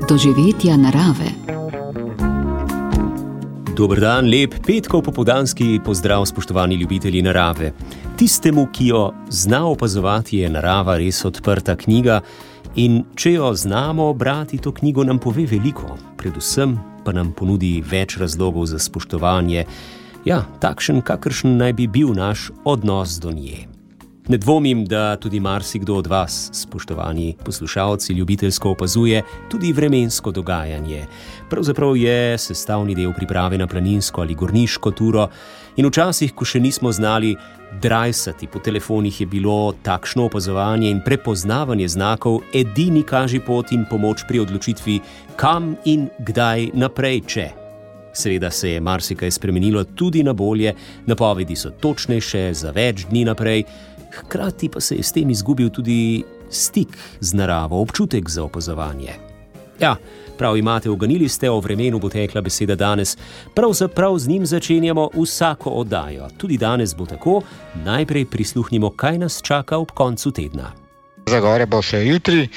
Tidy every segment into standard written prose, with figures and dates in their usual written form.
doživetja narave. Dober dan, lep petkov popoldanski pozdrav, spoštovani ljubitelji narave. Tistemu, ki jo zna opazovati, je narava res odprta knjiga in če jo znamo brati, to knjigo nam pove veliko. Predvsem pa nam ponudi več razlogov za spoštovanje. Ja, takšen, kakršen naj bi bil naš odnos do nje. Ne dvomim, da tudi marsikdo od vas, spoštovani poslušalci, ljubiteljsko opazuje tudi vremensko dogajanje. Pravzaprav je sestavni del priprave na planinsko ali gorniško turo in včasih, ko še nismo znali drajsati po telefonih, je bilo takšno opazovanje in prepoznavanje znakov edini kažipot in pomoč pri odločitvi, kam in kdaj naprej, če. Seveda se je marsikaj spremenilo tudi na bolje, napovedi so točnejše za več dni naprej, hkrati pa se je s tem izgubil tudi stik z naravo, občutek za opazovanje. Ja, prav imate, uganili ste, o vremenu bo tekla beseda danes. Pravzaprav z njim začenjamo vsako oddajo. Tudi danes bo tako. Najprej prisluhnimo, kaj nas čaka ob koncu tedna. Za gore bo še jutri,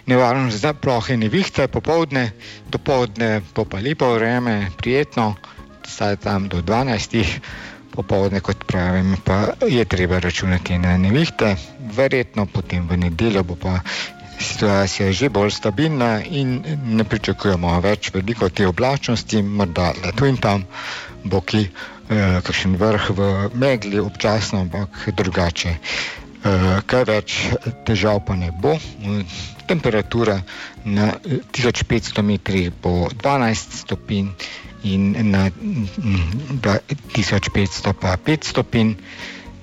nevarnost za plohe nevihte, popoldne, dopoldne bo pa lepo vreme, prijetno, saj tam do 12. Popoldne, kot pravim, pa je treba računati na nevihte. Verjetno potem v nedeljo bo pa situacija že bolj stabilna in ne pričakujemo več veliko te oblačnosti, morda le tu in tam bo kakšen vrh v megli občasno, ampak drugače. Kaj več težav pa ne bo. Temperatura na 1500 metrih bo 12 stopinj in na 1500 pa 5 stopinj.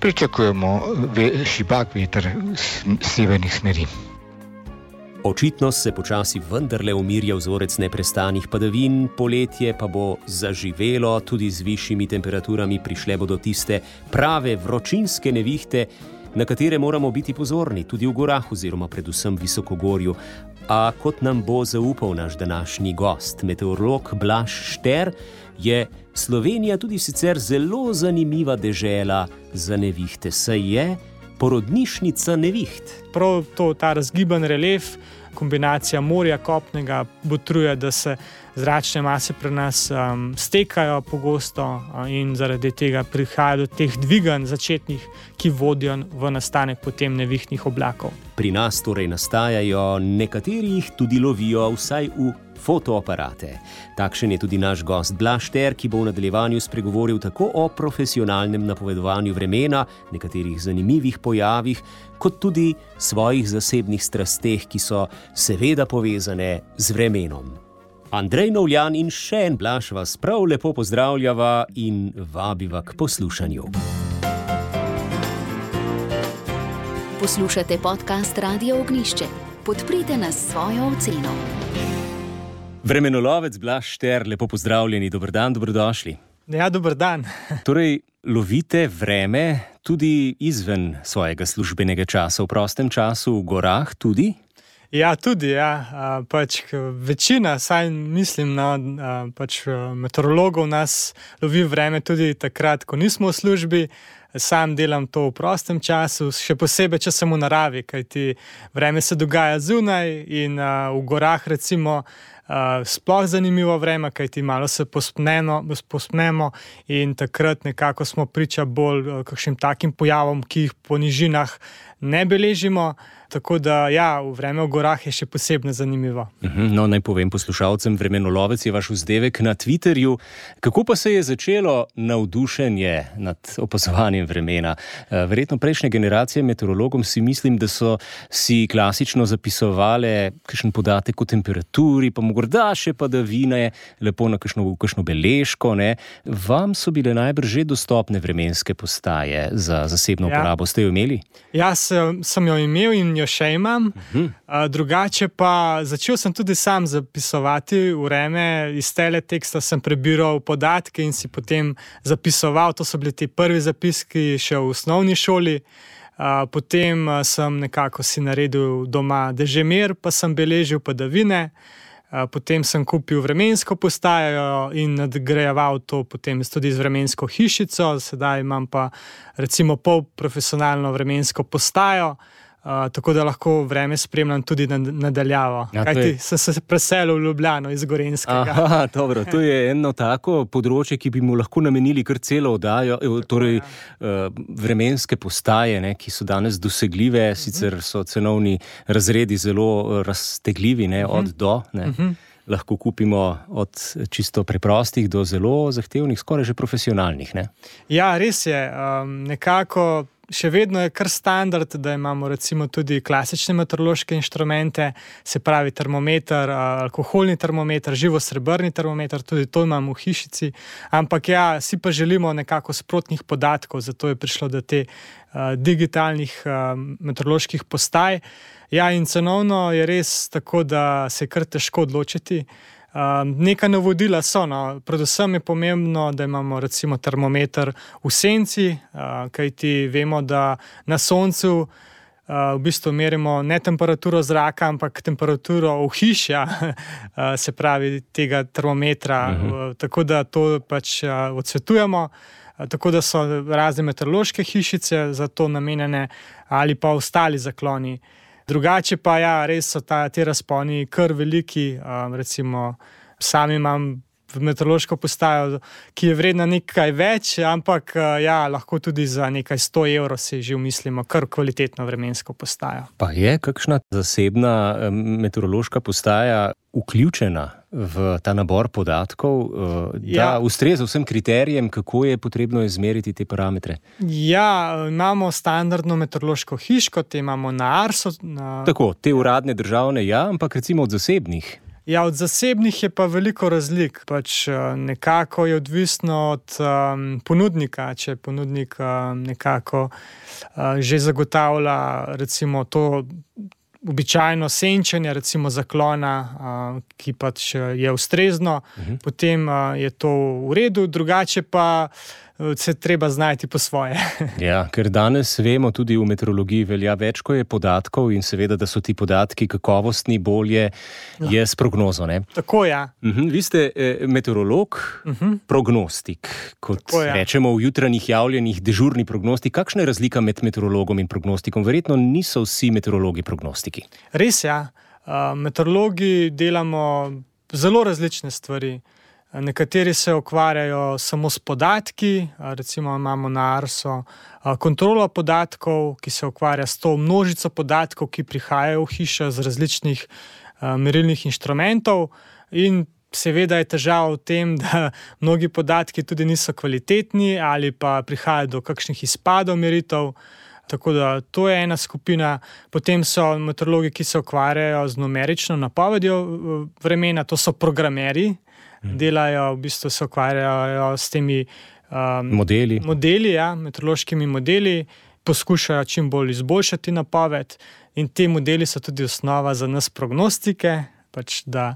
Pričakujemo šibak veter severnih smeri. Očitno se počasi vendarle umirja vzorec neprestanih padavin, poletje pa bo zaživelo, tudi z višjimi temperaturami prišle bodo tiste prave vročinske nevihte, na katere moramo biti pozorni, tudi v gorah oziroma predvsem visokogorju. A kot nam bo zaupal naš današnji gost, meteorolog Blaž Šter, je Slovenija tudi sicer zelo zanimiva dežela za nevihte, saj je porodnišnica neviht. Prav ta razgiban relief, kombinacija morja, kopnega, botruje, da se zračne mase pri nas stekajo pogosto in zaradi tega prihaja do teh dviganj začetnih, ki vodijo v nastanek potem nevihtnih oblakov. Pri nas torej nastajajo, nekateri jih tudi lovijo, vsaj v fotoaparate. Takšen je tudi naš gost Blaž Šter, ki bo v nadaljevanju spregovoril tako o profesionalnem napovedovanju vremena, nekaterih zanimivih pojavih, kot tudi svojih zasebnih strasteh, ki so seveda povezane z vremenom. Andrej Novljan in še en Blaž vas prav lepo pozdravljava in vabiva k poslušanju. Poslušate podcast Radio Ognjišče. Podprite nas s svojo oceno. Vremenolovec Blaž Šter, lepo pozdravljeni, dober dan, dobrodošli. Ja, dober dan. Torej, lovite vreme tudi izven svojega službenega časa, v prostem času, v gorah tudi? Ja, tudi, ja. Večina, saj mislim, meteorologov nas lovi vreme tudi takrat, ko nismo v službi. Sam delam to v prostem času, še posebej, če sem v naravi, kajti vreme se dogaja zunaj in v gorah recimo sploh zanimivo vreme, kajti malo se pospnemo in takrat nekako smo priča bolj kakšnim takim pojavom, ki jih po nižinah ne beležimo. Tako da, ja, vreme v gorah je še posebno zanimivo. No, naj povem poslušalcem, vremenolovec je vaš vzdevek na Twitterju. Kako pa se je začelo navdušenje nad opazovanjem vremena? Verjetno prejšnje generacije meteorologom si mislim, da so si klasično zapisovale kakšen podatek o temperaturi, pa morda še padavine, lepo na kakšno beležko, ne? Vam so bile najbrž že dostopne vremenske postaje za zasebno uporabo. Ste jo imeli? Ja, sem jo imel in jo še imam. Drugače pa začel sem tudi sam zapisovati vreme. Iz teleteksta sem prebiral podatke in si potem zapisoval. To so bili ti prvi zapiski še v osnovni šoli. Potem sem nekako si naredil doma dežemer, pa sem beležil padavine. Potem sem kupil vremensko postajo in nadgrajeval to potem tudi z vremensko hišico. Sedaj imam pa recimo pol profesionalno vremensko postajo, tako da lahko vreme spremljam tudi nadaljavo. Kajti sem se preselil v Ljubljano iz Gorenjskega. Aha, dobro, to je eno tako področje, ki bi mu lahko namenili kar celo oddajo, torej vremenske postaje, ne, ki so danes dosegljive, sicer so cenovni razredi zelo raztegljivi, ne, od do, ne. Lahko kupimo od čisto preprostih do zelo zahtevnih, skoraj že profesionalnih, ne? Ja, res je. Nekako še vedno je kar standard, da imamo recimo tudi klasične meteorološke inštrumente, se pravi termometer, alkoholni termometer, živosrebrni termometer, tudi to imamo v hišici, ampak ja, si pa želimo nekako sprotnih podatkov, zato je prišlo do te digitalnih meteoroloških postaj. Ja, in cenovno je res tako, da se je kar težko odločiti. Neka navodila so, no. Predvsem je pomembno, da imamo recimo termometer v senci, kajti vemo, da na soncu v bistvu merimo ne temperaturo zraka, ampak temperaturo ohišja, se pravi tega termometra, tako da to pač odsvetujemo. Tako da so razne meteorološke hišice za to namenjene ali pa ostali zakloni. Drugače pa ja, res so te razponi kar veliki, recimo sam imam meteorološko postajo, ki je vredna nekaj več, ampak ja, lahko tudi za nekaj 100 evrov si že mislimo kar kvalitetno vremensko postajo. Pa je kakšna zasebna meteorološka postaja vključena v ta nabor podatkov, da ustreza vsem kriterijem, kako je potrebno izmeriti te parametre? Ja, imamo standardno meteorološko hiško, te imamo na Arso. Tako, te uradne državne, ja, ampak recimo od zasebnih. Ja, od zasebnih je pa veliko razlik. Pač nekako je odvisno od ponudnika, če ponudnik nekako že zagotavlja recimo to običajno senčenje, recimo zaklona, ki pač je ustrezno, potem je to v redu, drugače pa se treba znajti po svoje. Ja, ker danes vemo, tudi v meteorologiji velja več, ko je podatkov in seveda, da so ti podatki kakovostni, bolje je s prognozo, ne? Tako, ja. Vi ste meteorolog, prognostik, kot rečemo v jutranjih javljenih, dežurni prognostik. Kakšna je razlika med meteorologom in prognostikom? Verjetno niso vsi meteorologi prognostiki. Res, ja. Meteorologi delamo zelo različne stvari. Nekateri se ukvarjajo samo s podatki, recimo imamo na Arso kontrolo podatkov, ki se ukvarja s to množico podatkov, ki prihajajo v hišo z različnih merilnih inštrumentov, in seveda je težava v tem, da mnogi podatki tudi niso kvalitetni ali pa prihajajo do kakšnih izpadov meritev. Tako da to je ena skupina. Potem so meteorologi, ki se ukvarjajo z numerično napovedjo vremena, to so programerji. Delajo, v bistvu se ukvarjajo s temi modeli, ja, meteorološkimi modeli, poskušajo čim bolj izboljšati napoved, in ti modeli so tudi osnova za nas prognostike, pač da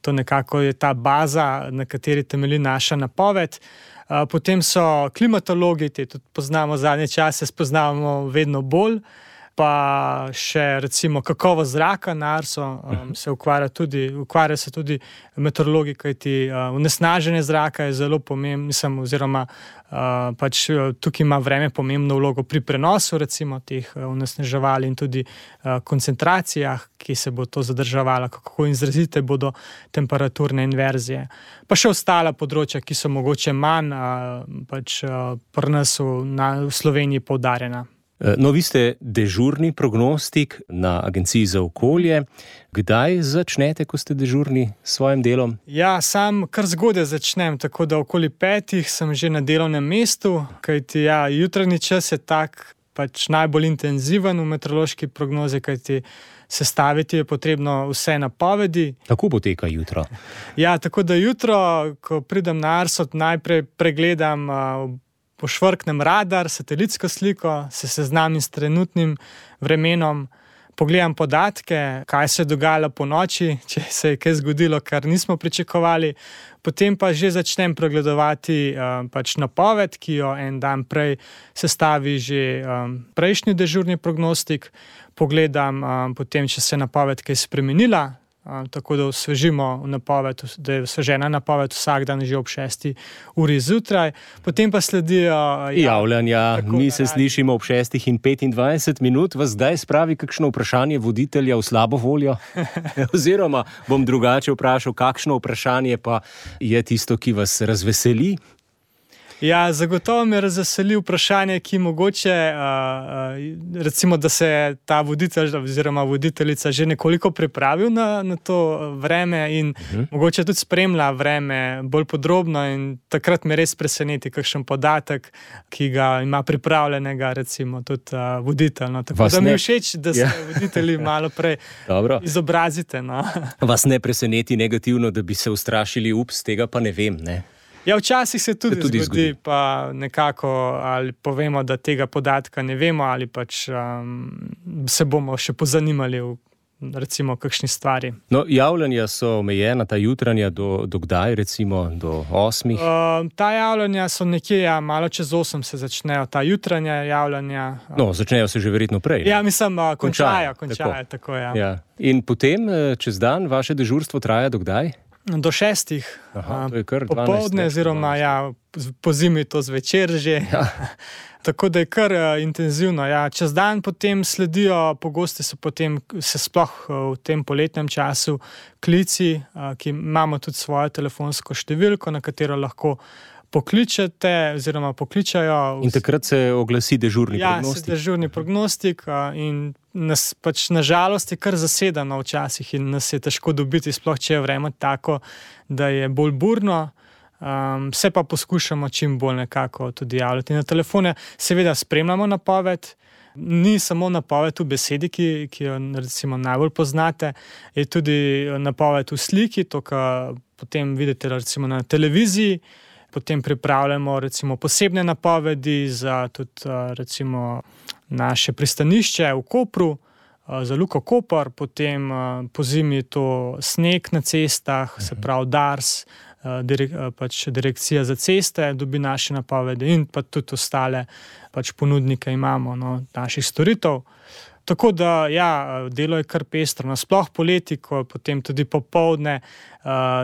to nekako je ta baza, na kateri temelji naša napoved. Potem so klimatologi, te tudi poznamo zadnje čase, spoznavamo vedno bolj, pa še recimo kakovost zraka na Arso se ukvarja se tudi meteorologi, kajti onesnaženje zraka je zelo pomembno, oziroma pač tukaj ima vreme pomembno vlogo pri prenosu recimo teh onesnaževal in tudi koncentracijah, ki se bo to zadrževalo, kako izrazite bodo temperaturne inverzije. Pa še ostala področja, ki so mogoče manj pač pri nas v Sloveniji poudarjena. No, vi ste dežurni prognostik na Agenciji za okolje. Kdaj začnete, ko ste dežurni s svojim delom? Ja, sam kar zgodaj začnem, tako da okoli 5 sem že na delovnem mestu, kajti ja, jutranji čas je tak pač najbolj intenziven v meteorološki prognozi, kajti sestaviti je potrebno vse napovedi. Kako poteka jutro? Ja, tako da jutro, ko pridem na Arso, najprej pregledam pošvrknem radar, satelitsko sliko, se seznamim s trenutnim vremenom, pogledam podatke, kaj se je dogajalo po noči, če se je kaj zgodilo, kar nismo pričakovali, potem pa že začnem pregledovati pač napoved, ki jo en dan prej sestavi že prejšnji dežurni prognostik, pogledam potem, če se je napoved kaj spremenila, tako da osvežimo napoved, da je osvežena napoved vsak dan že ob 6. uri zjutraj. Potem pa sledijo javljanja. Mi se slišimo ob 6:25, vas zdaj spravi kakšno vprašanje voditelja v slabo voljo? Oziroma bom drugače vprašal, kakšno vprašanje pa je tisto, ki vas razveseli? Ja, zagotovo me razveseli vprašanje, ki mogoče, recimo, da se ta voditelj oziroma voditeljica že nekoliko pripravil na to vreme in mogoče tudi spremlja vreme bolj podrobno in takrat me res preseneti kakšen podatek, ki ga ima pripravljenega recimo tudi voditelj. No. Tako da mi je všeč, da se voditelji malo prej izobrazite. No. Vas ne preseneti negativno, da bi se ustrašili, ups, tega pa ne vem, ne? Ja, včasih se tudi zgodi, pa nekako ali povemo, da tega podatka ne vemo ali pač se bomo še pozanimali v recimo kakšni stvari. No, javljanja so omejena, ta jutranja do kdaj, recimo do 8? Ta javljanja so nekje, malo čez 8 se začnejo, ta jutranja javljanja. No, začnejo se že verjetno prej. Ja, mislim, končajo, tako ja. Ja. In potem čez dan vaše dežurstvo traja do kdaj? Do 6. To je kar 12. Popoldne, oziroma po zimi to zvečer že. Ja. Tako da je kar intenzivno. Ja. Čez dan potem sledijo, pogosto se sploh v tem poletnem času klici, ki imamo tudi svojo telefonsko številko, na katero lahko pokličete oziroma pokličajo. In takrat se oglasi dežurni prognostik. Ja, se dežurni prognostik in nas pač nažalost je kar zasedeno včasih in nas je težko dobiti, sploh če je vreme tako, da je bolj burno. Se pa poskušamo čim bolj nekako tudi javljati na telefone. Seveda spremljamo napoved. Ni samo napoved v besedi, ki jo recimo najbolj poznate, je tudi napoved v sliki, to, kar potem vidite recimo na televiziji. Potem pripravljamo recimo posebne napovedi za tudi recimo naše pristanišče v Kopru, za Luko Koper, potem po zimi to sneg na cestah, se pravi DARS, pač direkcija za ceste dobi naše napovedi in pa tudi ostale pač ponudnike imamo, naših storitev. Tako da, delo je kar pestro. Nasploh poleti, ko potem tudi popoldne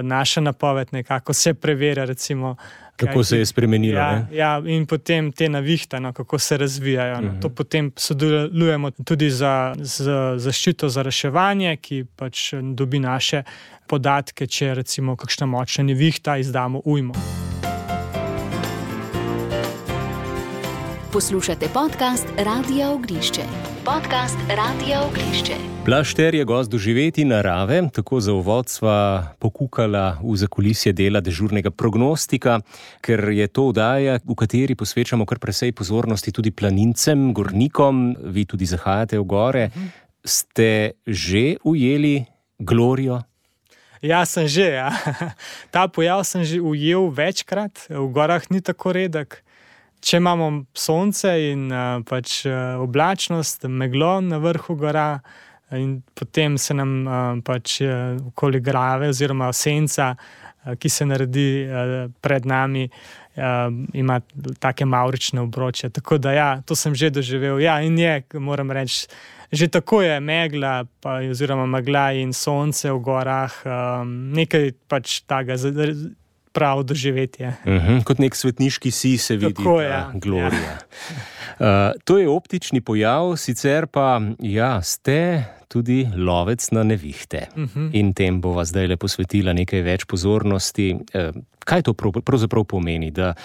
naša napoved nekako se preverja, recimo. Kako se je spremenilo, ne? Ja, in potem te navihte, kako se razvijajo. To potem sodelujemo tudi za zaščito za reševanje, ki pač dobi naše podatke, če recimo kakšna močna nevihta, izdamo ujmo. Poslušate podcast Radia Ognišče. Blaž Šter je gost Doživeti narave, tako za uvod sva pokukala v zakulisje dela dežurnega prognostika, ker je to oddaja, v kateri posvečamo kar precej pozornosti tudi planincem, gornikom, vi tudi zahajate v gore. Ste že ujeli glorijo? Ja, sem že, ja. Ta pojav sem že ujel večkrat, v gorah ni tako redek. Če imamo sonce in pač oblačnost, meglo na vrhu gora in potem se nam pač okoli glave oziroma senca, ki se naredi pred nami, ima take mavrične obroče. Tako da to sem že doživel. Ja, in moram reči, že tako je megla oziroma megla in sonce v gorah, nekaj pač takega pravo doživetje. Kot nek svetniški si se vidi glorija. To je optični pojav, sicer pa ste tudi lovec na nevihte. In tem bova zdaj le posvetila nekaj več pozornosti. Kaj to pravzaprav pomeni, da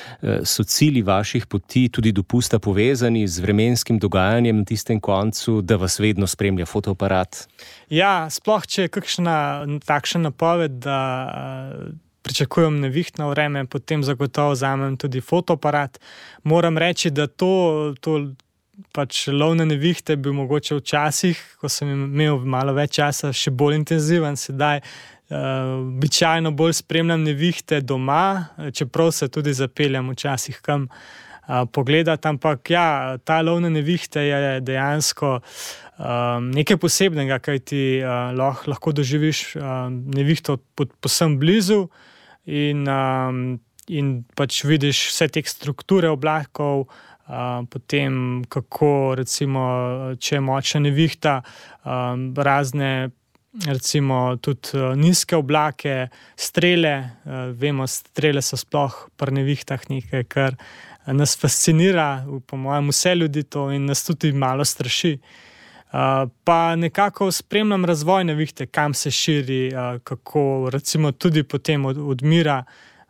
so cilji vaših poti tudi dopusta povezani z vremenskim dogajanjem na tistem koncu, da vas vedno spremlja fotoaparat? Ja, sploh če je kakšna takšna napoved, da pričakujem nevihtno vreme, potem zagotovo vzamem tudi fotoaparat. Moram reči, da to pač lov na nevihte bil mogoče včasih, ko sem imel malo več časa, še bolj intenziven. Sedaj običajno bolj spremljam nevihte doma, čeprav se tudi zapeljem včasih kam pogledati, ampak ta lov na nevihte je dejansko nekaj posebnega, kaj ti lahko doživiš nevihto povsem blizu in pač vidiš vse te strukture oblakov, potem kako recimo, če je močna nevihta, razne recimo tudi nizke oblake, strele. Vemo, strele so sploh pri nevihtah nekaj, kar nas fascinira, po mojem vse ljudi to in nas tudi malo straši. Pa nekako spremljam razvoj nevihte, kam se širi, kako recimo tudi potem odmira.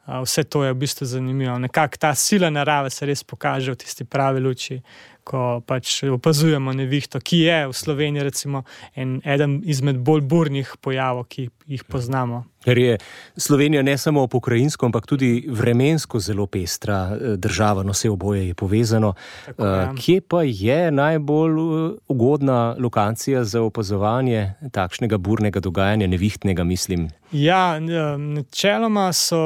Vse to je v bistvu zanimivo. Nekako ta sila narave se res pokaže v tisti pravi luči, ko pač opazujemo nevihto, ki je v Sloveniji recimo eden izmed bolj burnih pojavov, ki jih poznamo. Ker je Slovenija ne samo pokrajinsko, ampak tudi vremensko zelo pestra država, no vse oboje je povezano. Tako, ja. Kje pa je najbolj ugodna lokacija za opazovanje takšnega burnega dogajanja, nevihtnega, mislim? Ja, načeloma so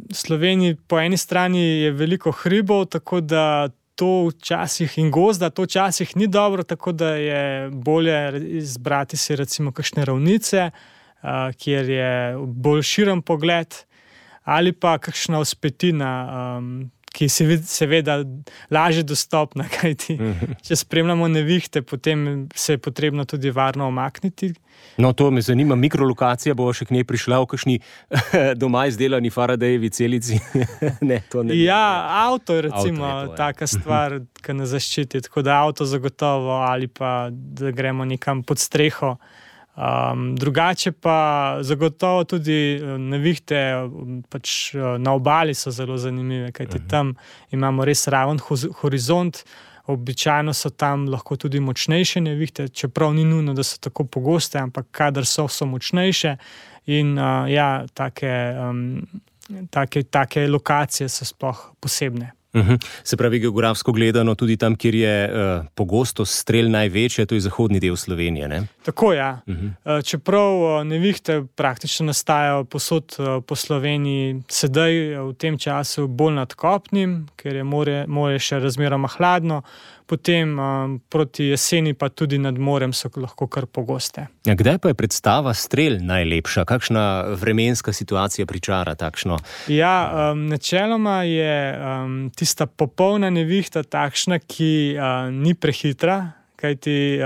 v Sloveniji po eni strani je veliko hribov, tako da to včasih in gozda, to včasih ni dobro, tako da je bolje izbrati si recimo kakšne ravnice, kjer je bolj širen pogled, ali pa kakšna vzpetina, ki je seveda lažje dostopna, kajti če spremljamo nevihte, potem se je potrebno tudi varno omakniti. No, to me zanima, mikrolokacija bo še k njej prišla v kakšni doma izdelani Faradayevi celici? Ne, to ne. Ja, avto je recimo taka stvar, ki nas zaščiti, tako da avto zagotovo ali pa da gremo nekam pod streho. Drugače pa zagotovo tudi nevihte pač na obali so zelo zanimive, kajti tam imamo res raven horizont, običajno so tam lahko tudi močnejše nevihte, čeprav ni nujno, da so tako pogoste, ampak kadar so močnejše in ja, take lokacije so sploh posebne. Se pravi, geografsko gledano, tudi tam, kjer je pogostost strel največja, to je zahodni del Slovenije, ne? Tako, ja. Čeprav nevihte praktično nastajajo povsod po Sloveniji, sedaj v tem času bolj nad kopnim, ker je more še razmeroma hladno, potem proti jeseni pa tudi nad morem so lahko kar pogoste. Ja, kdaj pa je predstava strel najlepša? Kakšna vremenska situacija pričara takšno? Ja, načeloma je tista popolna nevihta takšna, ki ni prehitra, kajti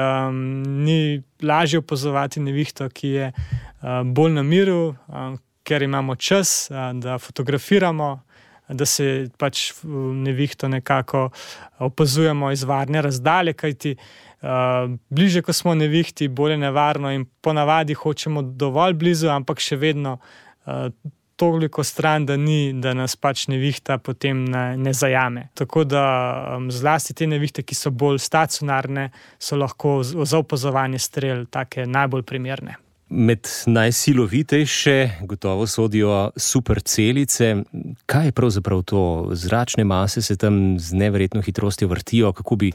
ni lažje opazovati nevihto, ki je bolj na miru, ker imamo čas, da fotografiramo, da se pač nevihto nekako opazujemo iz varne razdalje, kajti bliže, ko smo nevihti, bolj je nevarno in ponavadi hočemo dovolj blizu, ampak še vedno toliko stran, da nas pač nevihta potem ne zajame. Tako da zlasti te nevihte, ki so bolj stacionarne, so lahko za opazovanje strel take najbolj primerne. Med najsilovitejše gotovo sodijo supercelice. Kaj je pravzaprav to? Zračne mase se tam z neverjetno hitrostjo vrtijo. Kako bi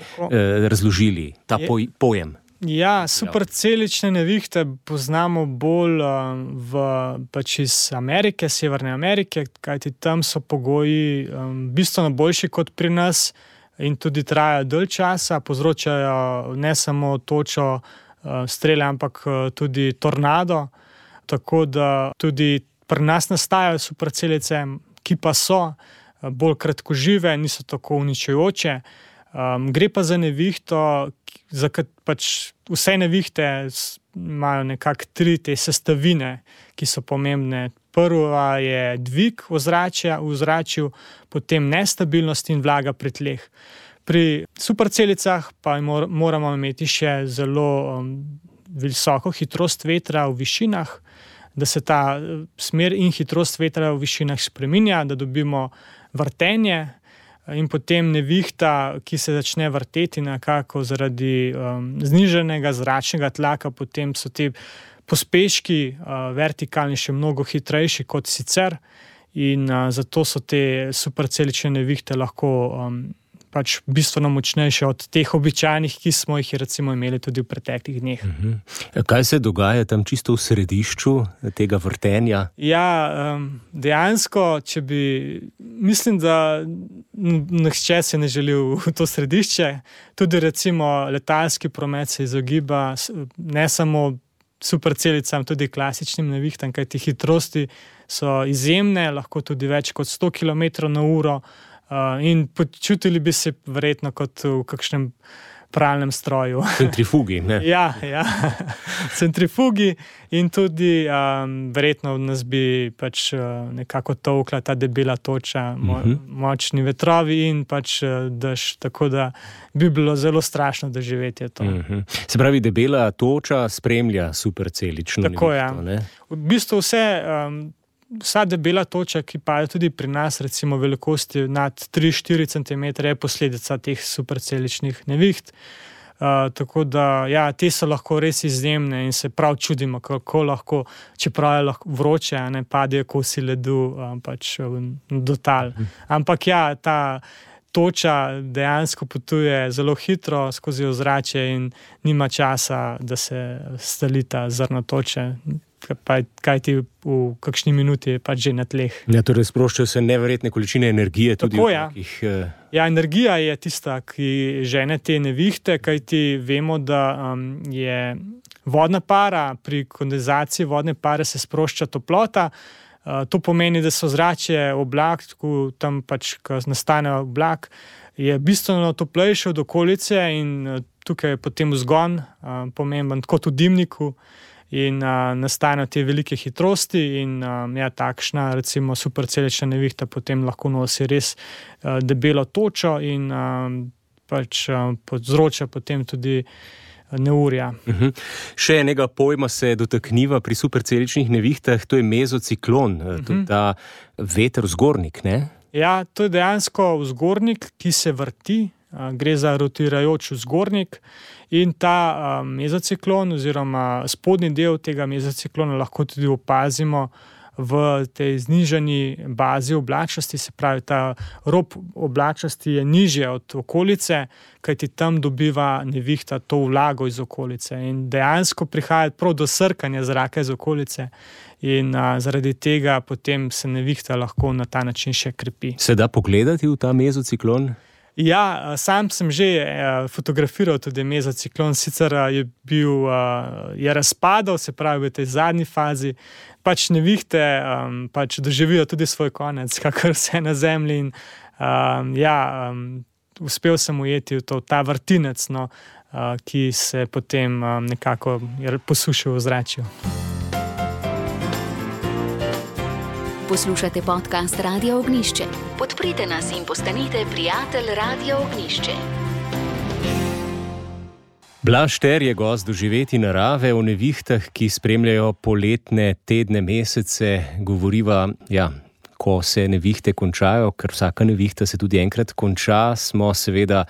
razložili ta pojem? Ja, supercelične nevihte poznamo bolj pač iz Amerike, Severne Amerike, kajti tam so pogoji bistveno boljši kot pri nas in tudi trajajo dalj časa, povzročajo ne samo točo strele, ampak tudi tornado, tako da tudi pri nas nastajajo supercelice, ki pa so bolj kratkožive, niso tako uničujoče. Gre pa za nevihto, pač vse nevihte imajo nekako 3 te sestavine, ki so pomembne. Prva je dvig ozračja v ozračju, potem nestabilnost in vlaga pri tleh. Pri supercelicah pa moramo imeti še zelo visoko hitrost vetra v višinah, da se ta smer in hitrost vetra v višinah spreminja, da dobimo vrtenje in potem nevihta, ki se začne vrteti nekako zaradi znižanega zračnega tlaka, potem so ti pospeški vertikalni še mnogo hitrejši kot sicer in zato so te supercelične nevihte lahko pač bistveno močnejše od teh običajnih, ki smo jih recimo imeli tudi v preteklih dneh. Kaj se dogaja tam čisto v središču tega vrtenja? Ja, dejansko, mislim, da nihče se ne želi v to središče. Tudi recimo letalski promet se izogiba ne samo supercelicam, tudi klasičnim nevihtam, kajti hitrosti so izjemne, lahko tudi več kot 100 km/h, in počutili bi se verjetno kot v kakšnem pralnem stroju. Centrifugi, ne? Ja, centrifugi in tudi verjetno nas bi pač nekako tolkla ta debela toča, močni vetrovi in pač dež, tako da bi bilo zelo strašno doživetje to. Se pravi, debela toča spremlja supercelično nevihto, ne? V bistvu vsa debela toča, ki pada tudi pri nas, recimo velikosti nad 3-4 cm, je posledica teh superceličnih neviht. Tako da, ja, te so lahko res izjemne in se prav čudimo, kako lahko, čeprav je lahko vroče, ne padejo kosi ledu pač do tal. Ampak ja, ta toča dejansko potuje zelo hitro skozi ozračje in nima časa, da se stali ta zrno toče. Kaj ti v kakšni minuti je pač že na tleh. Ja, torej sproščajo se neverjetne količine energije. Tudi tako, ja, energija je tista, ki žene te nevihte, kajti vemo, da je vodna para, pri kondenzaciji vodne pare se sprošča toplota. To pomeni, da so zračje oblak, tam pač, ko nastane oblak, je bistveno toplejše od okolice in tukaj je potem vzgon pomemben, kot v dimniku. In nastanejo te velike hitrosti in ja, takšna recimo supercelična nevihta potem lahko nosi res debelo točo in pač povzroča potem tudi neurja. Še enega pojma se dotakniva pri superceličnih nevihtah, to je mezociklon, to je ta veter vzgornik, ne? Ja, to je dejansko vzgornik, ki se vrti, gre za rotirajoč vzgornik. In ta mezociklon oziroma spodnji del tega mezociklona lahko tudi opazimo v tej znižani bazi oblačnosti, se pravi, ta rob oblačnosti je nižje od okolice, kajti tam dobiva nevihta to vlago iz okolice in dejansko prihaja prav do srkanja zraka iz okolice in zaradi tega potem se nevihta lahko na ta način še krepi. Se da pogledati v ta mezociklon? Ja, sam sem že fotografiral tudi mezociklon, sicer je razpadal, se pravi v tej zadnji fazi, pač nevihte pač doživijo tudi svoj konec, kakor vse na zemlji in uspel sem ujeti v ta vrtinec, ki se potem nekako posušil v ozračju. Poslušate podcast Radia Ognjišče. Podprite nas in postanite prijatelj Radia Ognjišče. Blaž Šter je gost Doživeti narave o nevihtah, ki spremljajo poletne tedne, mesece. Govoriva, ko se nevihte končajo, ker vsaka nevihta se tudi enkrat konča, smo seveda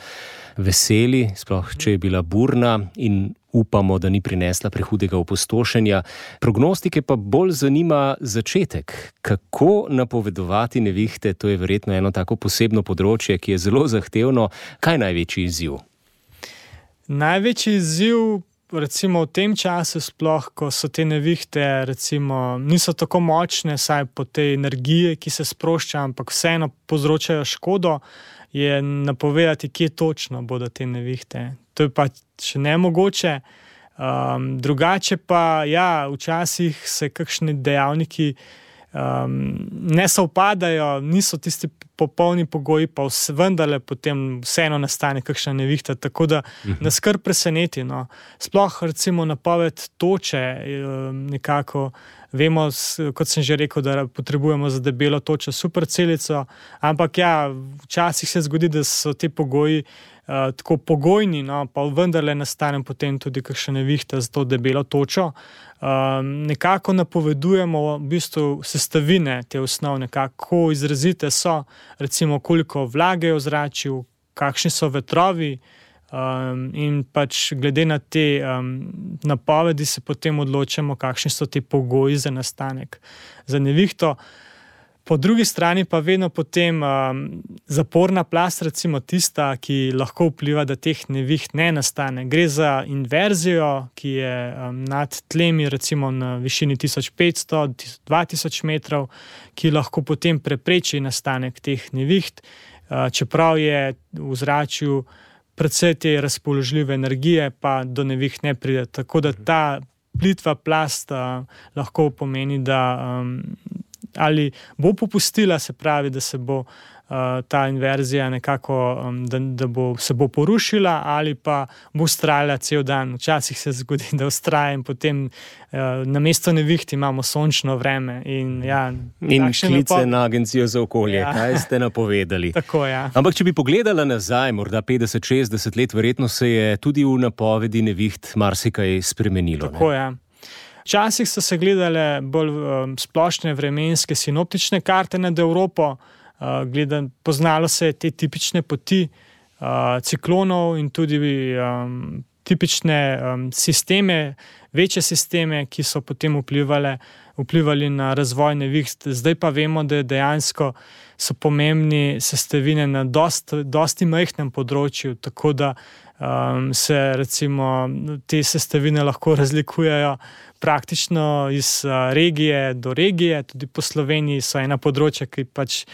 veseli, sploh če je bila burna in upamo, da ni prinesla prehudega opustošenja. Prognostike pa bolj zanima začetek. Kako napovedovati nevihte? To je verjetno eno tako posebno področje, ki je zelo zahtevno. Kaj je največji izziv? Največji izziv recimo v tem času sploh, ko so te nevihte recimo niso tako močne, saj po tej energiji, ki se sprošča, ampak vseeno povzročajo škodo, je napovedati, kje točno bodo te nevihte. To je pa še nemogoče. Drugače pa, včasih se kakšni dejavniki ne sovpadajo, niso tisti popolni pogoji, pa vendarle potem vseeno nastane kakšna nevihta, tako da nas kar preseneti. Sploh recimo napoved toče nekako vemo, kot sem že rekel, da potrebujemo za debelo točo supercelico, ampak včasih se zgodi, da so te pogoji tako pogojni, pa vendarle nastane potem tudi kakšna nevihta za to debelo točo. Nekako napovedujemo v bistvu sestavine te osnovne, kako izrazite so, recimo koliko vlage je v ozračju, kakšni so vetrovi, in pač glede na te napovedi se potem odločamo, kakšni so ti pogoji za nastanek za nevihto. Po drugi strani pa vedno potem zaporna plast, recimo tista, ki lahko vpliva, da teh neviht ne nastane. Gre za inverzijo, ki je nad tlemi recimo na višini 1500-2000 metrov, ki lahko potem prepreči nastanek teh neviht, čeprav je v ozračju predvsej te razpoložljive energije, pa do neviht ne pride. Tako da ta plitva plast lahko pomeni, da ali bo popustila, se pravi, da se bo ta inverzija nekako, se bo porušila, ali pa bo vztrajala cel dan. Včasih se zgodi, da vztraja in potem namesto neviht imamo sončno vreme. In klice na Agencijo za okolje, kaj ste napovedali. Tako, ja. Ampak če bi pogledala nazaj, morda 50-60 let, verjetno se je tudi v napovedi neviht marsikaj spremenilo. Tako, ja. Včasih so se gledale bolj splošne vremenske sinoptične karte nad Evropo, poznalo se je te tipične poti ciklonov in tudi tipične sisteme, večje sisteme, ki so potem vplivali na razvoj neviht. Zdaj pa vemo, da dejansko so pomembni sestavine na dosti majhnem področju, tako da se recimo te sestavine lahko razlikujejo praktično iz regije do regije. Tudi po Sloveniji so ena področja, ki pač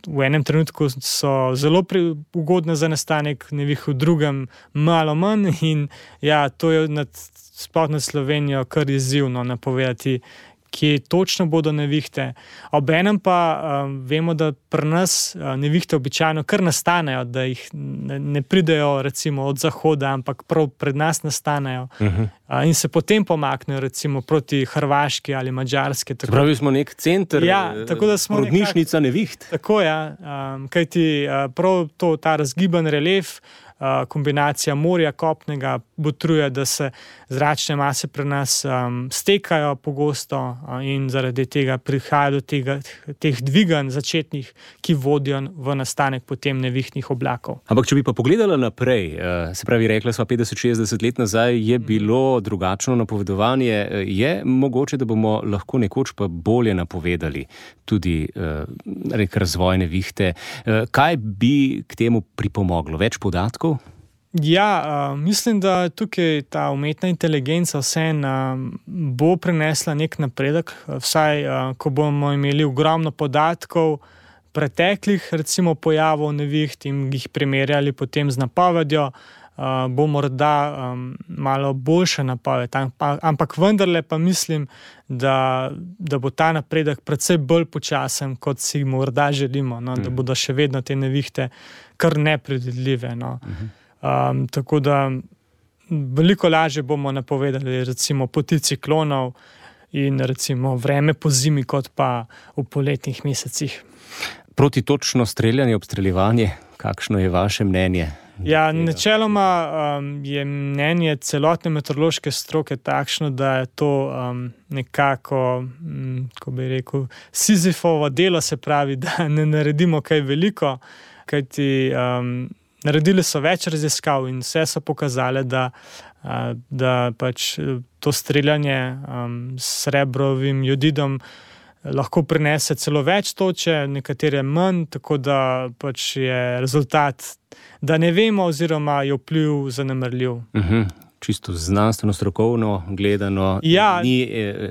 v enem trenutku so zelo ugodne za nastanek neviht, v drugem malo manj, in to je sploh nad Slovenijo kar izzivno napovedati, kje točno bodo nevihte. Obenem pa vemo, da pri nas nevihte običajno kar nastanejo, da jih ne pridejo recimo od zahoda, ampak prav pred nas nastanejo. In se potem pomaknejo recimo proti Hrvaški ali Madžarski. Pravi smo nek center, porodnišnica neviht. Tako, kajti prav ta razgiban relief, kombinacija morja, kopnega botruje, da se zračne mase pri nas stekajo pogosto in zaradi tega prihaja do teh dviganj začetnih, ki vodijo v nastanek potem nevihtnih oblakov. Ampak če bi pa pogledala naprej, se pravi, rekla sva 50-60 let nazaj, je bilo drugačno napovedovanje, je mogoče, da bomo lahko nekoč pa bolje napovedali tudi razvoj nevihte. Kaj bi k temu pripomoglo? Več podatkov? Mislim, da tukaj ta umetna inteligenca bo prinesla nek napredek, vsaj ko bomo imeli ogromno podatkov preteklih recimo pojavov neviht in jih primerjali potem z napovedjo, bo morda malo boljša napoved, ampak vendarle pa mislim, da bo ta napredek precej bolj počasen, kot si morda želimo, da bodo še vedno te nevihte kar nepredvidljive. Tako da veliko lažje bomo napovedali recimo poti ciklonov in recimo vreme po zimi, kot pa v poletnih mesecih. Protitočno streljanje, obstreljevanje, kakšno je vaše mnenje? Načeloma je mnenje celotne meteorološke stroke takšno, da je to nekako, ko bi rekel, Sizifovo delo, se pravi, da ne naredimo kaj veliko, kajti naredili so več raziskav in vse so pokazale, da pač to streljanje s srebrovim jodidom lahko prinese celo več toče, nekatere manj, tako da pač je rezultat, da ne vemo, oziroma je vpliv zanemarljiv. Čisto znanstveno, strokovno gledano, ni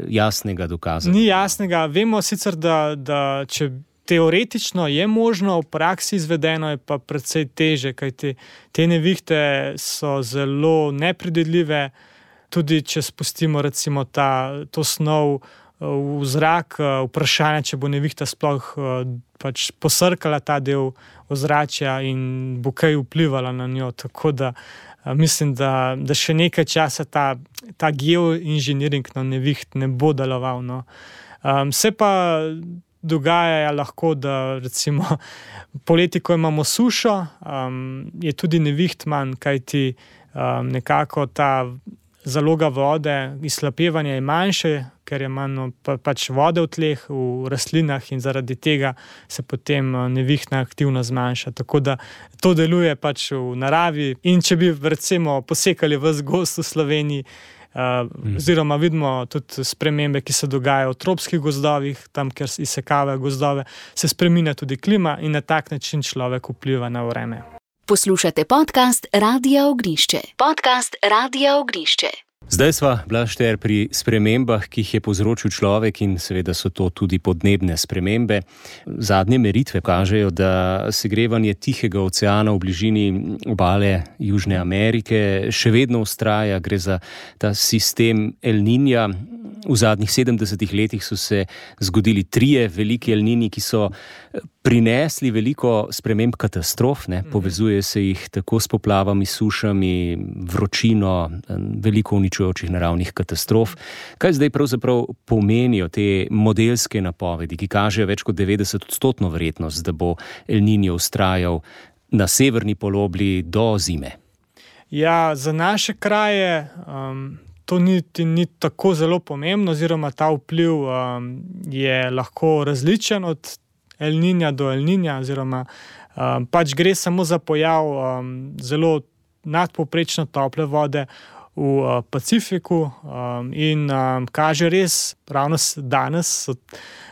jasnega dokaza. Ni jasnega. Vemo sicer, da če teoretično je možno, v praksi izvedeno je pa precej teže, kajti te nevihte so zelo nepredvidljive, tudi če spustimo recimo to snov v zrak, vprašanje, če bo nevihta sploh pač posrkala ta del ozračja in bo kaj vplivala na njo, tako da mislim, da še nekaj časa ta geoinženiring na neviht ne bo deloval. Se pa dogaja lahko, da recimo poleti, ko imamo sušo, je tudi neviht manj, kajti nekako ta zaloga vode, izhlapevanje je manjše, ker je manj pač vode v tleh, v rastlinah, in zaradi tega se potem nevihtna aktivnost zmanjša. Tako da to deluje pač v naravi, in če bi recimo posekali ves gozd v Sloveniji, oziroma vidimo tudi spremembe, ki se dogajajo v tropskih gozdovih, tam, kjer izsekavajo gozdove, se spreminja tudi klima in na tak način človek vpliva na vreme. Poslušate podcast Radia Ognjišče. Zdaj sva, Blaž Šter, pri spremembah, ki jih je povzročil človek in seveda so to tudi podnebne spremembe. Zadnje meritve kažejo, da segrevanje Tihega oceana v bližini obale Južne Amerike še vedno vztraja. Gre za ta sistem El Niña. V zadnjih 70 letih so se zgodili 3 veliki El Niñi, ki so prinesli veliko sprememb katastrof. Povezuje se jih tako s poplavami, sušami, vročino, veliko uničujočih naravnih katastrof. Kaj zdaj pravzaprav pomenijo te modelske napovedi, ki kažejo več kot 90% verjetnost, da bo El Niño vztrajal na severni polobli do zime? Ja, za naše kraje to ni tako zelo pomembno, oziroma ta vpliv je lahko različen od El Niña do El Niña, oziroma pač gre samo za pojav zelo nadpovprečno tople vode v Pacifiku in kaže res, ravno danes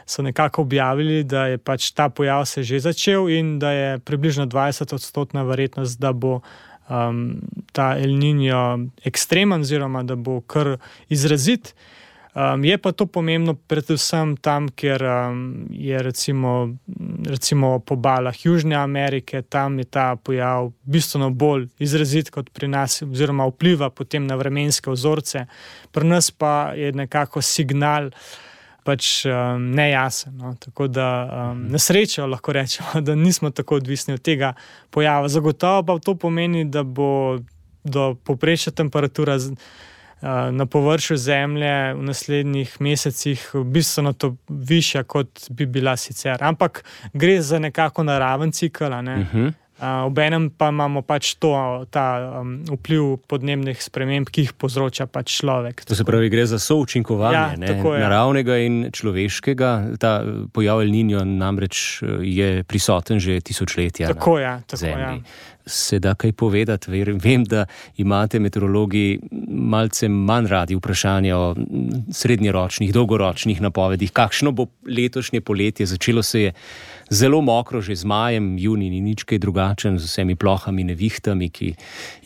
so nekako objavili, da je pač ta pojav se že začel in da je približno 20% verjetnost, da bo ta El Niño ekstremen, oziroma da bo kar izrazit. Je pa to pomembno predvsem tam, kjer je recimo po obalah Južne Amerike, tam je ta pojav bistveno bolj izrazit kot pri nas, oziroma vpliva potem na vremenske vzorce. Pri nas pa je nekako signal pač nejasen. No? Tako da na srečo lahko rečemo, da nismo tako odvisni od tega pojava. Zagotovo pa to pomeni, da bo do povprečna temperatura na površju Zemlje v naslednjih mesecih bistveno to višja, kot bi bila sicer. Ampak gre za nekako naraven cikel, obenem pa imamo pač ta vpliv podnebnih sprememb, ki jih povzroča pač človek. To se pravi, gre za součinkovanje naravnega in človeškega. Ta pojav El Niño namreč je prisoten že tisočletja na Zemlji. Se da kaj povedati? Vem, da imate meteorologi malce manj radi vprašanja o srednjeročnih, dolgoročnih napovedih. Kakšno bo letošnje poletje? Začelo se je zelo mokro, že z majem, junij ni nič kaj drugačen, z vsemi plohami, nevihtami, ki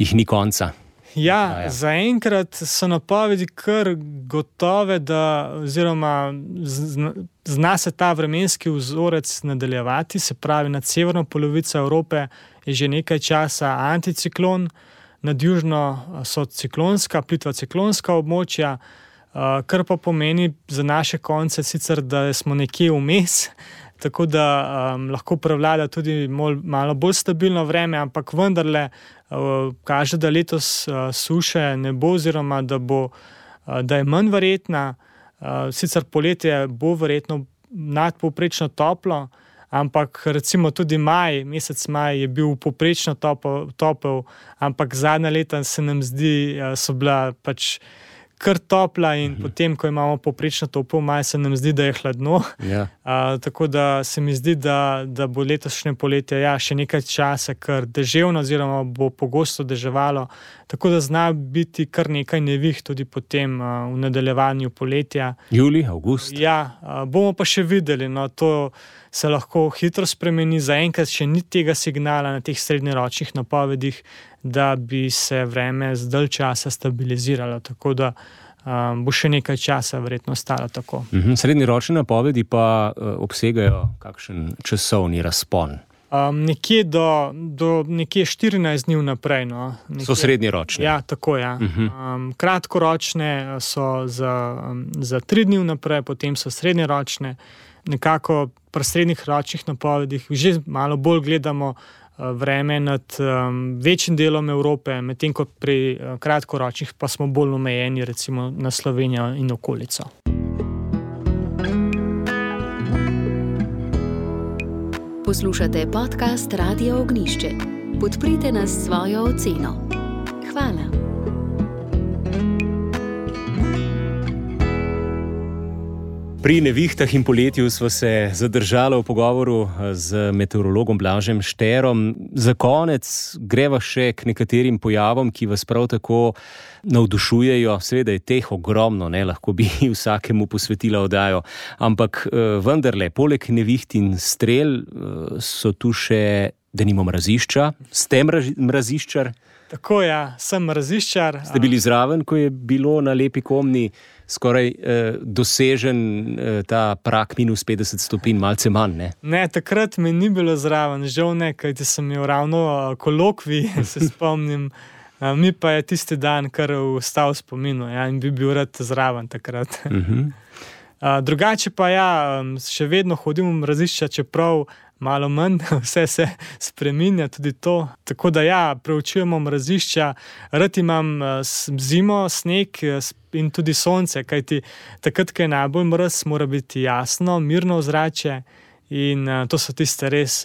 jih ni konca. Ja, zaenkrat so napovedi kar gotove, oziroma zna se ta vremenski vzorec nadaljevati, se pravi nad severno polovico Evrope je že nekaj časa anticiklon, nad južno so ciklonska, plitva ciklonska območja, kar pa pomeni za naše konce sicer, da smo nekje vmes, tako da lahko prevlada tudi malo bolj stabilno vreme, ampak vendarle kaže, da letos suše ne bo, oziroma da je manj verjetna. Sicer poletje bo verjetno nadpovprečno toplo, ampak recimo tudi mesec maj je bil povprečno topel, ampak zadnja leta se nam zdi, so bila pač kar topla in potem, ko imamo povprečno topel maj, se nam zdi, da je hladno. Tako da se mi zdi, da bo letošnje poletje še nekaj časa kar deževno, oziroma bo pogosto deževalo, tako da zna biti kar nekaj neviht tudi potem v nadaljevanju poletja. Julij, avgust. Ja, bomo pa še videli, to se lahko hitro spremeni. Zaenkrat še ni tega signala na teh srednjeročnih napovedih, da bi se vreme z dalj časa stabiliziralo, tako da bo še nekaj časa verjetno ostalo tako. Srednjeročne napovedi pa obsegajo kakšen časovni razpon? Nekje do nekje 14 dni vnaprej. So srednjeročne? Ja, tako ja. Kratkoročne so za 3 dni vnaprej, potem so srednjeročne. Nekako pri srednjih ročnih napovedih že malo bolj gledamo vreme nad večjim delom Evrope, medtem ko pri kratkoročnih pa smo bolj omejeni recimo na Slovenijo in okolico. Poslušate podcast Radio Ognišče. Podprite nas s svojo oceno. Hvala. Pri nevihtah in poletju smo se zadržali v pogovoru z meteorologom Blažem Šterom. Za konec greva še k nekaterim pojavom, ki vas prav tako navdušujejo. Seveda je teh ogromno, lahko bi vsakemu posvetila oddajo, ampak vendarle, poleg neviht in strel so tu še denimo mrazišča. Ste mraziščar? Tako, ja, sem mraziščar. Ste bili zraven, ko je bilo na Lepi Komni skoraj dosežen ta prak minus 50 stopinj, malce manj, ne? Ne, takrat me ni bilo zraven, žal ne, kajti sem imel ravno kolokvij, se spomnim. Mi pa je tisti dan kar ostal v spominu, ja, in bi bil rad zraven takrat. Drugače pa ja, še vedno hodim v mrazišča, čeprav malo manj, vse se spreminja, tudi to. Tako da ja, preučujemo mrazišča, rad imam zimo, sneg in tudi sonce, kajti takrat, ko je najbolj mraz, mora biti jasno, mirno ozračje in to so tiste res,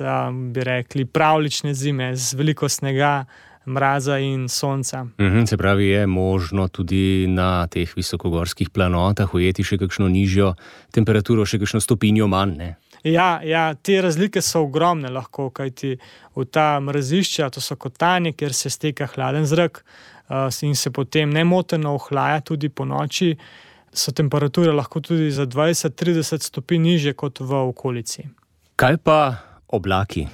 bi rekli, pravlične zime z veliko snega, mraza in sonca. Se pravi, je možno tudi na teh visokogorskih planotah ujeti še kakšno nižjo temperaturo, še kakšno stopinjo manj, ne? Ja, te razlike so ogromne lahko, kajti v ta mrazišča, to so kotanje, kjer se steka hladen zrak in se potem nemoteno ohlaja tudi po noči, so temperature lahko tudi za 20-30 stopinj nižje kot v okolici. Kaj pa oblaki?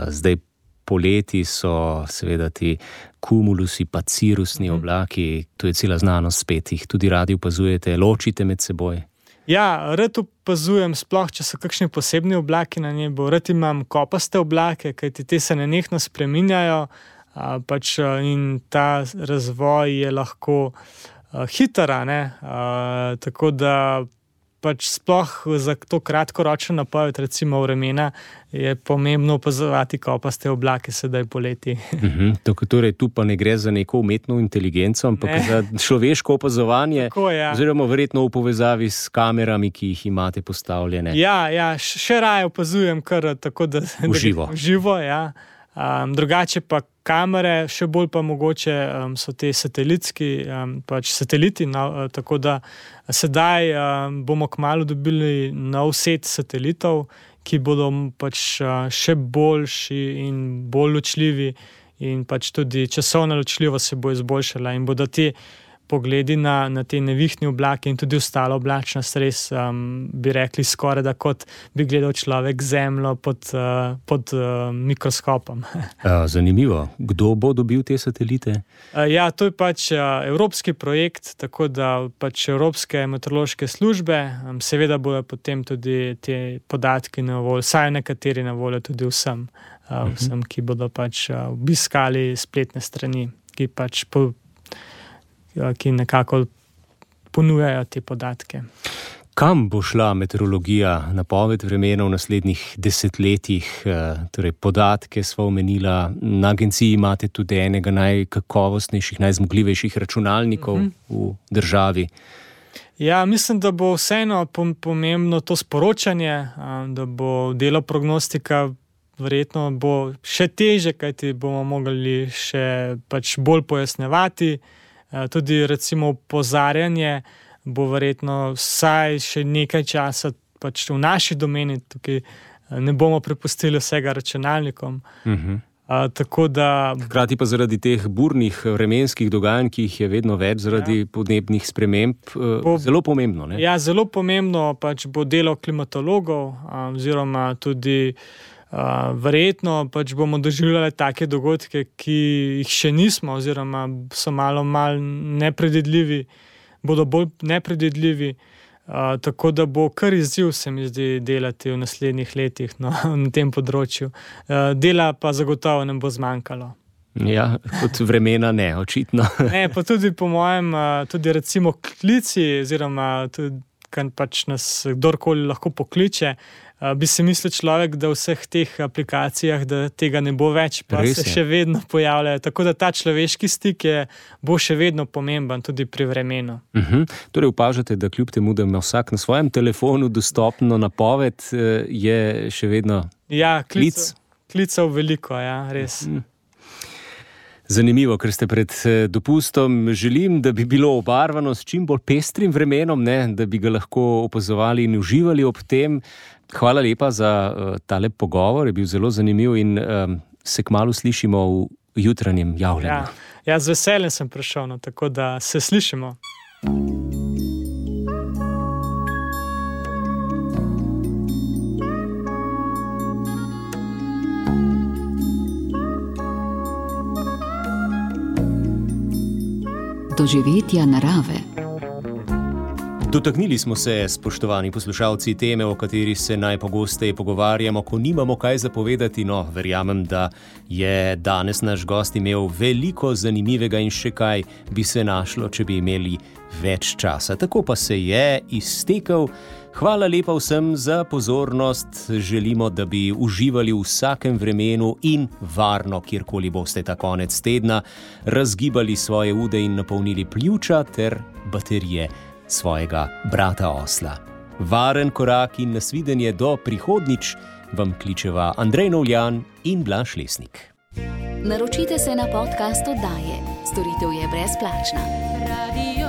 Zdaj poleti so seveda ti kumulusi pa cirusni oblaki, tu je cela znanost spet, jih tudi radi opazujete, ločite med seboj? Ja, rad opazujem, sploh če so kakšni posebni oblaki na nebu, rad imam kopaste oblake, kajti te se nenehno spreminjajo, in ta razvoj je lahko hiter, tako da sploh za to kratkoročno napoved, recimo vremena, je pomembno opazovati kopaste oblake sedaj poleti. Torej, tu pa ne gre za neko umetno inteligenco, ampak za človeško opazovanje, tako, ja. Oziroma verjetno v povezavi s kamerami, ki jih imate postavljene. Ja, še raje opazujem kar tako, da živo, ja. Drugače pa kamere, še bolj pa mogoče so te sateliti, tako da sedaj bomo kmalu dobili nov set satelitov, ki bodo še boljši in bolj ločljivi in tudi časovna ločljivost se bo izboljšala in bodo ti pogledi na te nevihtne oblake in tudi ostalo oblačnost res, bi rekli, skoraj da kot bi gledal človek zemljo pod mikroskopom. Zanimivo. Kdo bo dobil te satelite? Ja, to je evropski projekt, tako da evropske meteorološke službe, seveda bojo potem tudi te podatki na voljo, saj nekateri na voljo tudi vsem, ki bodo obiskali spletne strani, ki nekako ponujajo te podatke. Kam bo šla meteorologija, napoved vremena v naslednjih desetletjih? Torej, podatke sva omenila, na agenciji imate tudi enega najkakovostnejših, najzmogljivejših računalnikov v državi. Ja, mislim, da bo vseeno pomembno to sporočanje, da bo delo prognostika verjetno bo še teže, kajti bomo mogli še bolj pojasnevati. Tudi recimo opozarjanje bo verjetno vsaj še nekaj časa v naši domeni, tukaj ne bomo prepustili vsega računalnikom. Tako da... Hkrati pa zaradi teh burnih vremenskih dogajanj, ki jih je vedno več zaradi podnebnih sprememb, zelo pomembno, ne? Ja, zelo pomembno bo delo klimatologov, oziroma tudi verjetno bomo doživljali take dogodke, ki jih še nismo, oziroma so malo nepredvidljivi, bodo bolj nepredvidljivi, tako da bo kar izziv, se mi zdi, delati v naslednjih letih na tem področju. Dela pa zagotovo ne bo zmanjkalo. Ja, kot vremena ne, očitno. Ne, pa tudi po mojem, tudi recimo klici, oziroma tudi, kar nas kdorkoli lahko pokliče, bi si mislil človek, da v vseh teh aplikacijah, da tega ne bo več, pa se še vedno pojavljajo. Tako da ta človeški stik bo še vedno pomemben tudi pri vremenu. Torej opažate, da kljub temu, da ima vsak na svojem telefonu dostopno napoved, je še vedno klic? Klicev veliko, ja, res. Zanimivo, ker ste pred dopustom. Želim, da bi bilo obarvano s čim bolj pestrim vremenom, da bi ga lahko opazovali in uživali ob tem. Hvala lepa za tale pogovor, je bil zelo zanimiv in se kmalu slišimo v jutranjem javljanju. Ja, z veseljem sem prišel, tako da se slišimo. doživetja narave. Dotaknili smo se, spoštovani poslušalci, teme, o kateri se najpogosteje pogovarjamo, ko nimamo kaj zapovedati. No, verjamem, da je danes naš gost imel veliko zanimivega in še kaj bi se našlo, če bi imeli več časa. Tako pa se je iztekel. Hvala lepa vsem za pozornost. Želimo, da bi uživali v vsakem vremenu in varno, kjerkoli boste ta konec tedna, razgibali svoje ude in napolnili pljuča ter baterije svojega brata osla. Varen korak in nasvidenje do prihodnjič vam kličeva Andrej Novljan in Blaž Lesnik. Naročite se na podcast oddaje. Storitev je brezplačna. Radio